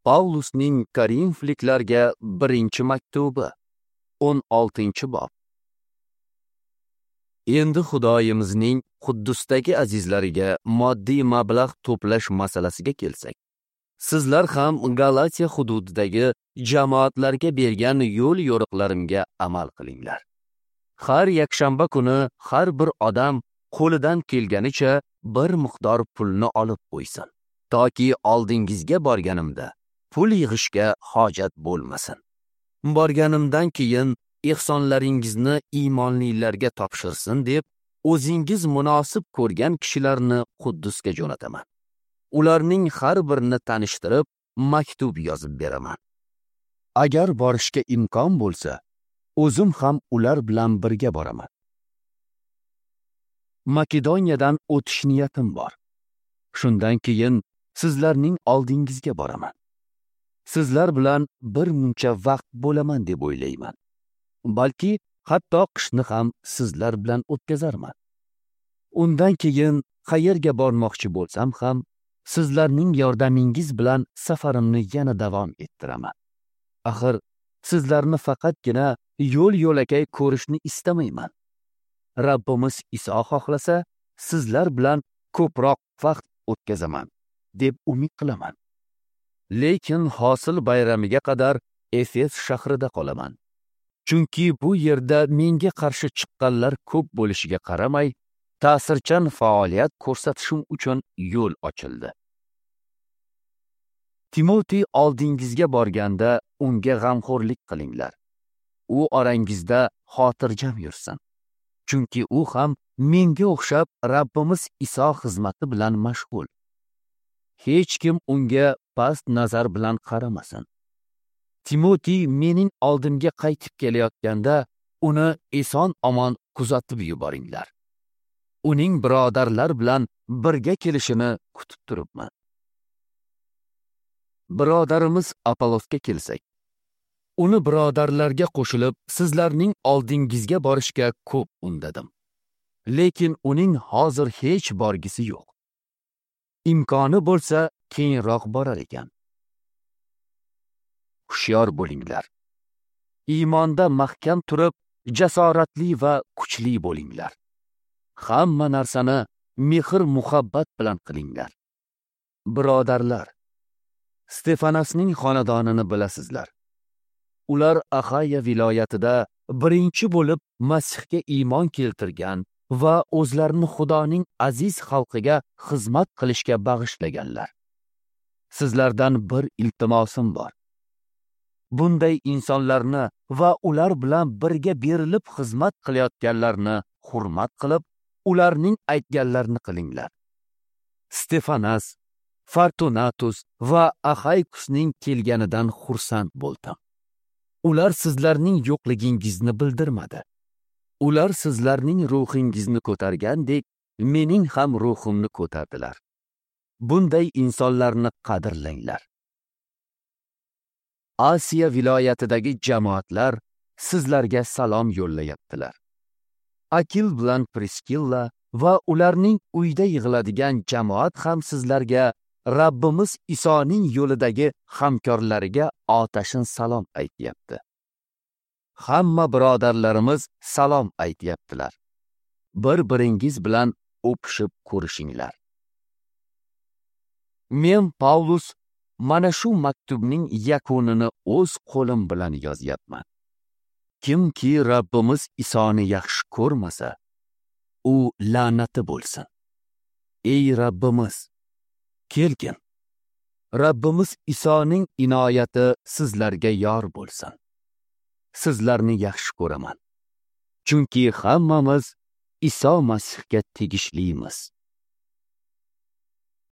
Pavlusning Korinfliklarga birinchi maktubi, 16-bob. Endi Xudoyimizning Quddusdagi azizlariga moddiy mablag' to'plash masalasiga kelsak, sizlar ham Galatiya hududidagi jamoatlarga bergan yo'l yo'riqlarimga amal qilinglar. Har yakshanba kuni har bir odam qo'lidan kelganicha bir miqdor pulni olib qo'ysin, toki oldingizga borganimda pul yig'ishga hojat bo'lmasin. Borganimdan keyin ehsonlaringizni iymonlilarga topshirsin deb o'zingiz munosib ko'rgan kishilarni Quddusga jo'nataman. Ularning har birini tanishtirib, maktub yozib beraman. Agar borishga imkon bo'lsa, o'zim ham ular bilan birga boraman. Makedoniyadan o'tish niyatim bor. Shundan keyin sizlarning oldingizga boraman. Sizlar bilan bir muncha vaqt bo'laman deb o'ylayman. Balki hatto qishni ham sizlar bilan o'tkazarman. Undan keyin qayerga bormoqchi bo'lsam ham sizlarning yordamingiz bilan safarimni yana davom ettiraman. Axir sizlarni faqatgina yo'l-yo'lakay ko'rishni istamayman. Rabbimiz Iso xohlasa, sizlar bilan ko'proq vaqt o'tkazaman deb umid qilaman. Lekin hosil bayramiga qadar Efes shahrida qolaman. Chunki bu yerda menga qarshi chiqqanlar ko'p bo'lishiga qaramay, ta'sirchan faoliyat ko'rsatishim uchun yo'l ochildi. Timotey oldingizga borganda unga g'amxo'rlik qilinglar. U orangizda xotirjam yursin. Chunki u ham menga o'xshab Rabbimiz Iso xizmati bilan mashg'ul. Hech kim unga past nazar bilan qaramasin. Timotey mening oldimga qaytib kelayotganda uni eson-omon kuzatib yuboringlar. Uning birodarlar bilan birga kelishini kutib turibman. Birodarimiz Apollosga kelsak, uni birodarlarga qo'shilib sizlarning oldingizga borishga ko'p undadim. Lekin uning hozir hech borgisi yo'q. Imkoni bo'lsa, keyinroq borar ekan. Hushyor bo'linglar. Iymonda mahkam turib, jasoratli va kuchli bo'linglar. Hamma narsani mehr-muhabbat bilan qilinglar. Birodarlar, Stefanasning xonadonini bilasizlar. Ular Axaya viloyatida birinchi bo'lib Masihga iymon keltirgan va o'zlarini Xudoning aziz xalqiga xizmat qilishga bag'ishlaganlar. Sizlardan bir iltimosim bor. Bunday insonlarni va ular bilan birga berilib xizmat qilayotganlarni hurmat qilib, ularning aytganlarini qilinglar. Stefanas, Fortunatus va Axaykusning kelganidan xursand bo'ldim. Ular sizlarning yo'qligingizni bildirmadi. Ular sizlarning ruhingizni ko'targandek, mening ham ruhimni ko'tardilar. Bunday insonlarni qadrlanglar. Osiyo viloyatidagi jamoatlar sizlarga salom yo'llayaptilar. Akil bilan Priskilla va ularning uyda yig'iladigan jamoat ham sizlarga Rabbimiz Isoning yo'lidagi hamkorlariga otashin salom aytyapti. Hamma birodarlarimiz salom aytyaptilar. Bir-biringiz bilan o'pishib ko'rishinglar. Men Pavlus mana shu maktubning yakunini o'z qo'lim bilan yozyapman. Kimki Rabbimiz Isoni yaxshi ko'rmasa, u la'nati bo'lsin. Ey Rabbimiz, kelgin. Rabbimiz Isoning inoyati sizlarga yor bo'lsin. Sizlarni yaxshi ko'raman. Chunki hammamiz Iso Masihga tegishlimiz.